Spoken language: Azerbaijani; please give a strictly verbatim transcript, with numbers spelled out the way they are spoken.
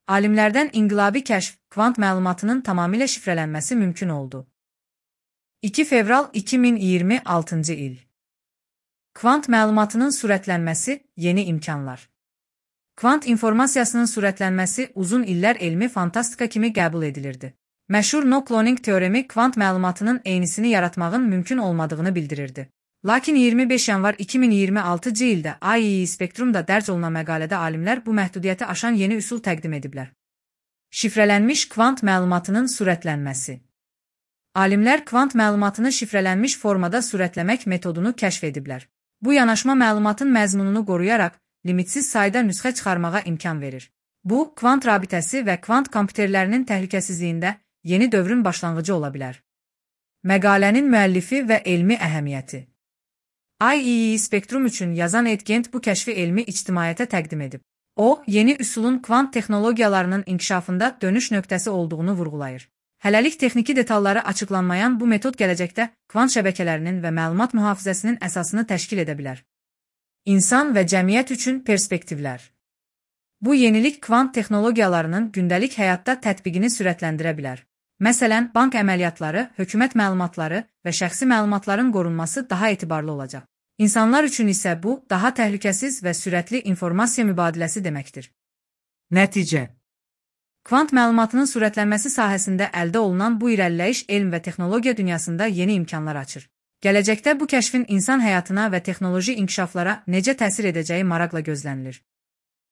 Alimlərdən inqilabi kəşf, kvant məlumatının tamamilə şifrələnməsi mümkün oldu. iki fevral iki min iyirmi altıncı il. Kvant məlumatının sürətlənməsi, yeni imkanlar. Kvant informasiyasının sürətlənməsi uzun illər elmi fantastika kimi qəbul edilirdi. Məşhur no-cloning teoremi kvant məlumatının eynisini yaratmağın mümkün olmadığını bildirirdi. Lakin iyirmi beş yanvar iki min iyirmi altıncı ildə I E E Spectrum'da dərc olunan məqalədə alimlər bu məhdudiyyəti aşan yeni üsul təqdim ediblər. Şifrələnmiş kvant məlumatının sürətlənməsi. Alimlər kvant məlumatını şifrələnmiş formada sürətləmək metodunu kəşf ediblər. Bu yanaşma məlumatın məzmununu qoruyaraq, limitsiz sayda nüsxə çıxarmağa imkan verir. Bu, kvant rabitəsi və kvant kompüterlərinin təhlükəsizliyində yeni dövrün başlanğıcı ola bilər. Məqalənin müəllifi və elmi əhəmiyyəti. I E E Spectrum üçün yazan Ed Gent bu kəşfi elmi ictimaiyyətə təqdim edib. O, yeni üsulun kvant texnologiyalarının inkişafında dönüş nöqtəsi olduğunu vurğulayır. Hələlik texniki detalları açıqlanmayan bu metod gələcəkdə kvant şəbəkələrinin və məlumat mühafizəsinin əsasını təşkil edə bilər. İnsan və cəmiyyət üçün perspektivlər. Bu yenilik kvant texnologiyalarının gündəlik həyatda tətbiqini sürətləndirə bilər. Məsələn, bank əməliyyatları, hökumət məlumatları və şəxsi məlumatların qorunması daha etibarlı olacaq. İnsanlar üçün isə bu, daha təhlükəsiz və sürətli informasiya mübadiləsi deməkdir. Nəticə. Kvant məlumatının sürətlənməsi sahəsində əldə olunan bu irəliləyiş elm və texnologiya dünyasında yeni imkanlar açır. Gələcəkdə bu kəşfin insan həyatına və texnoloji inkişaflara necə təsir edəcəyi maraqla gözlənilir.